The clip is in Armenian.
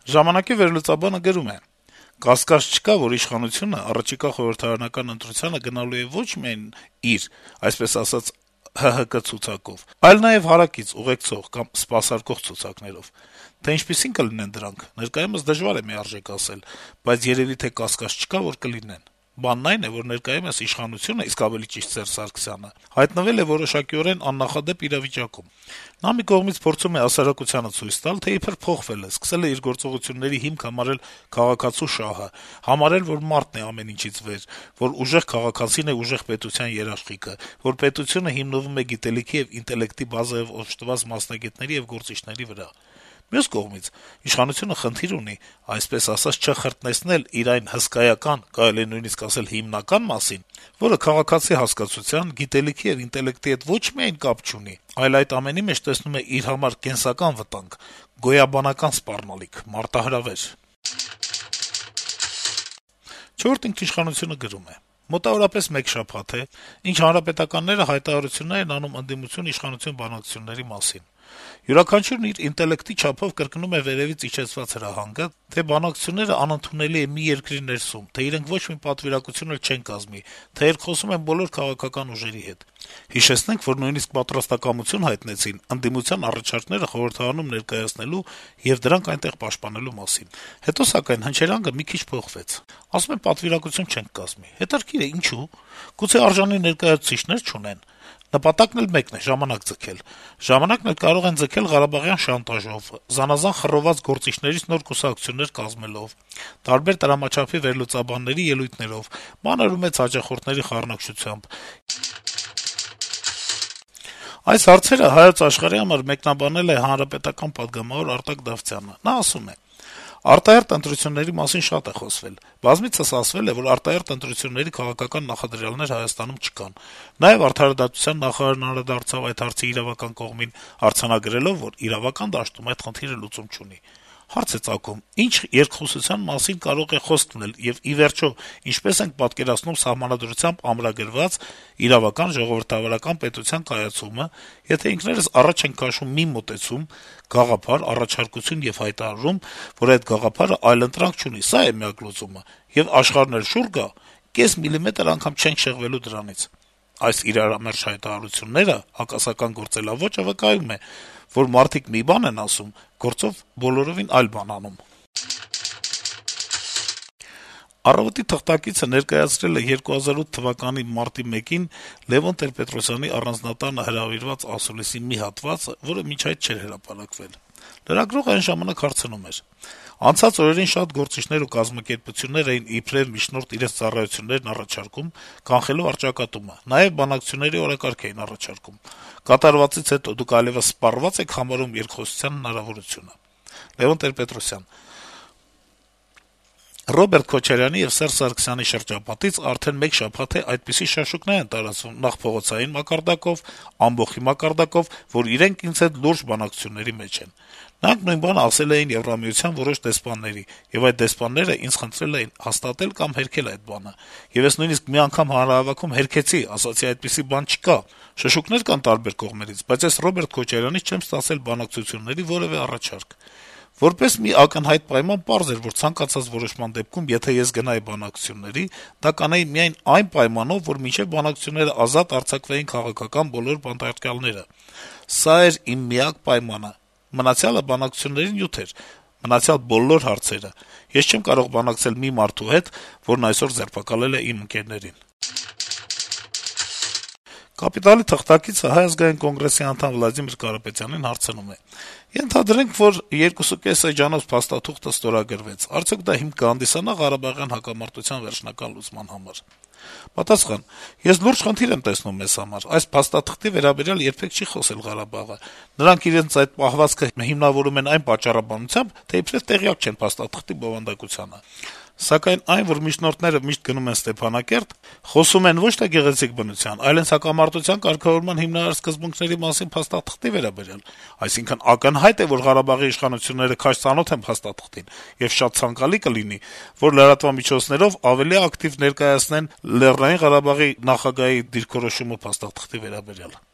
Ժամանակի վերլուծաբանը գրում է. - «Կասկած չկա, որ իշխանությունը առաջիկա խորհրդարանական ընտրությանը գնալու է ոչ միայն իր, այսպես ասած, ՀՀԿ ցուցակով, այլ նաեւ հարակից, ուղեկցող կամ սպասարկող ցուցակներով: Թե ինչպիսին կլինեն դրանք, ներկայումս դժվար է միարժեք ասել, բայց երեւի թե կասկած չկա, որ կլինեն: Բանն այն է, որ ներկայումս իշխանությունը, իսկ ավելի ճիշտ Սերժ Սարգսյանը, հայտնվել է որոշակիորեն աննախադեպ իրավիճակում: Նա մի կողմից փորձում է հասարակությանը ցույց տալ, թե իբր փոխվել է, սկսել է իր գործողությունների հիմք համարել քաղաքացու շահը, համարել, որ մարդն է ամեն ինչից վեր, որ ուժեղ քաղաքացին է ուժեղ պետության երաշխիքը, որ պետությունը հիմնվում է գիտելիքի եւ ինտելեկտի բազայով օժտված մասնագետների եւ գործիչների վրա: Մյուս կողմից, իշխանությունը խնդիր ունի, այսպես ասած, չխրտնեցնել իր այն հսկայական, կարելի է նույնիսկ ասել հիմնական մասին, որը քաղաքացի հասկացության, գիտելիքի եւ ինտելեկտի հետ ոչ միայն կապ չունի, այլ այդ ամենի մեջ տեսնում է իր համար կենսական վտանգ, գոյաբանական սպառնալիք, մարտահրավեր»: «Չորրորդ ինքնիշխանություն»-ը գրում է. - «Մոտավորապես մեկ շաբաթ է, ինչ հանրապետականները հայտարարություններ են անում ընդդիմություն-իշխանություն բանակցությունների մասին: Յուրաքանչյուրն իր ինտելեկտի չափով կրկնում է վերեւից իջեցված հրահանգը, թե բանակցությունները անընդունելի է մի երկրի ներսում, թե իրենք ոչ մի պատվիրակություն էլ չեն կազմի, թե երկխոսում են բոլոր քաղաքական ուժերի հետ: Հիշեցնենք, որ նույնիսկ պատրաստակամություն հայտնեցին ընդդիմության առաջարկները խորհրդարանում ներկայացնելու եւ դրանք այնտեղ պաշտպանելու մասին: Հետո, սակայն, հնչերանգը մի քիչ փոխվեց: Ասում են պատվիրակություն չենք կազմի: Հետաքրքիր է, ինչո՞ւ: Գուցե արժանի ներկայացուցիչներ չունեն: Նպատակն էլ մեկն է` ժամանակ ձգել: Ժամանակն էլ կարող են ձգել ղարաբաղյան շանտաժով, զանազան խռովված գործիչներից նոր կուսակցություններ կազմելով, տարբեր տրամաչափի վերլուծաբանների ելույթներով, մանր ու մեծ հաճախորդների խառնուրդությամբ: Այս հարցերը «Հայոց Աշխարհ»-ի համար մեկնաբանել է Հանրապետական պատգամավոր Արտակ Դավթյանը: Նա ասում է. - «Արտահերթ ընտրությունների մասին շատ է խոսվել: Բազմիցս ասվել է, որ արտահերթ ընտրությունների քաղաքական նախադրյալներ Հայաստանում չկան: Նաեւ Արդարադատության նախարարն անդրադարձավ այդ հարցի իրավական կողմին` արձանագրելով, որ իրավական դաշտում այդ խնդիրը լուծում չունի: Հարց է ծագում` ինչ երկխոսության մասին կարող է խոսք լինել եւ, ի վերջո, ինչպես ենք պատկերացնում Սահմանադրությամբ ամրագրված իրավական ժողովրդավարական պետության կայացումը, եթե ինքներս առաջ ենք քաշում մի մոտեցում, գաղափար, առաջարկություն եւ հայտարարում, որ այդ գաղափարը այլընտրանք չունի, սա է միակ լուծումը, եւ աշխարհն էլ շուռ գա, կես միլիմետր անգամ չենք շեղվելու դրանից: Այս իրարամերժ հայտարարությունները, հակասական գործելաոճը վկայում է, որ մարդիկ մի բան են ասում, գործով բոլորովին այլ բան անում»: «Առավոտ»-ի թղթակիցը ներկայացրել է 2008 թվականի մարտի 1-ին Լեւոն Տեր-Պետրոսյանի առանձնատանը հրավիրված ասուլիսի մի հատվածը, որը մինչ այդ չէր հրապարակվել: Լրագրողը այն ժամանակ հարցնում էր. - «Անցած օրերին շատ գործիչներ ու կազմակերպություններ էին իբրեւ միջնորդ իրենց ծառայություններն առաջարկում` կանխելով առճակատումը, նաեւ բանակցությունների օրակարգ էին առաջարկում: Կատարվածից հետո դուք այլեւս սպառվա՞ծ եք համարում երկխոսության հնարավորությունը»: Լեւոն Տեր-Պետրոսյան. - «Ռոբերտ Քոչարյանի եւ Սերժ Սարգսյանի շրջապատից արդեն մեկ շաբաթ է այդպիսի շաշուկներ են տարածվում նախ փողոցային մակարդակով, ամբոխի մակարդակով, որ իրենք ինձ հետ լուրջ բանակցությունների մեջ են: Նրանք նույն բանը ասել էին Եվրամիության որոշ դեսպանների, եւ այդ դեսպանները ինձ խնդրել էին հաստատել կամ հերքել այդ բանը: Եվ ես նույնիսկ մի անգամ հանրահավաքում հերքեցի, ասացի` այդպիսի բան չկա: Շշուկներ կան տարբեր կողմերից, բայց ես Ռոբերտ Քոչարյանից չեմ ստացել բանակցությունների որեւէ առաջարկ: Որպես մի ակնհայտ պայման պարզ էր, որ ցանկացած որոշման դեպքում, եթե ես գնայի բանակցությունների, դա կանեի միայն այն պայմանով, որ մինչեւ բանակցությունները ազատ արձակվեին քաղաքական բոլոր բանտարկյալները: Սա էր իմ միակ պայմանը: Մնացյալը բանակցությունների նյութ էր, մնացյալ բոլոր հարցերը: Ես չեմ կարող բանակցել մի մարդու հետ, որն այսօր ձերբակալել է իմ ընկերներին»: «Կապիտալ»-ի թղթակիցը Հայ ազգային կոնգրեսի անդամ Վլադիմիր Կարապետյանին հարցնում է. - «Ենթադրենք, որ 2.5 էջանոց փաստաթուղթը ստորագրվեց, արդյոք դա հիմք կհանդիսանա Ղարաբաղյան հակամարտության վերջնական լուծման համար»: Պատասխան. - «Ես լուրջ խնդիր եմ տեսնում մեզ համար: Այս փաստաթղթի վերաբերյալ երբեք չի խոսել Ղարաբաղը: Նրանք իրենց այդ պահվածքը հիմնավորում են այն պատճառաբանությամբ, թե իբրեւ տեղյակ չեն փաստաթղթի բովանդակությանը: Սակայն այն, որ միջնորդները միշտ գնում են Ստեփանակերտ, խոսում են ոչ թե գեղեցիկ բնության, այլ հենց հակամարտության կարգավորման հիմնարար սկզբունքների մասին փաստաթղթի վերաբերյալ: Այսինքն` ակնհայտ է, որ Ղարաբաղի իշխանությունները քաջ ծանոթ են փաստաթղթին, եւ շատ ցանկալի կլինի, որ լրատվամիջոցներով ավելի ակտիվ ներկայացնեն Լեռնային Ղարաբաղի նախագահի դիրքորոշումը փաստաթղթի վերաբերյալ»: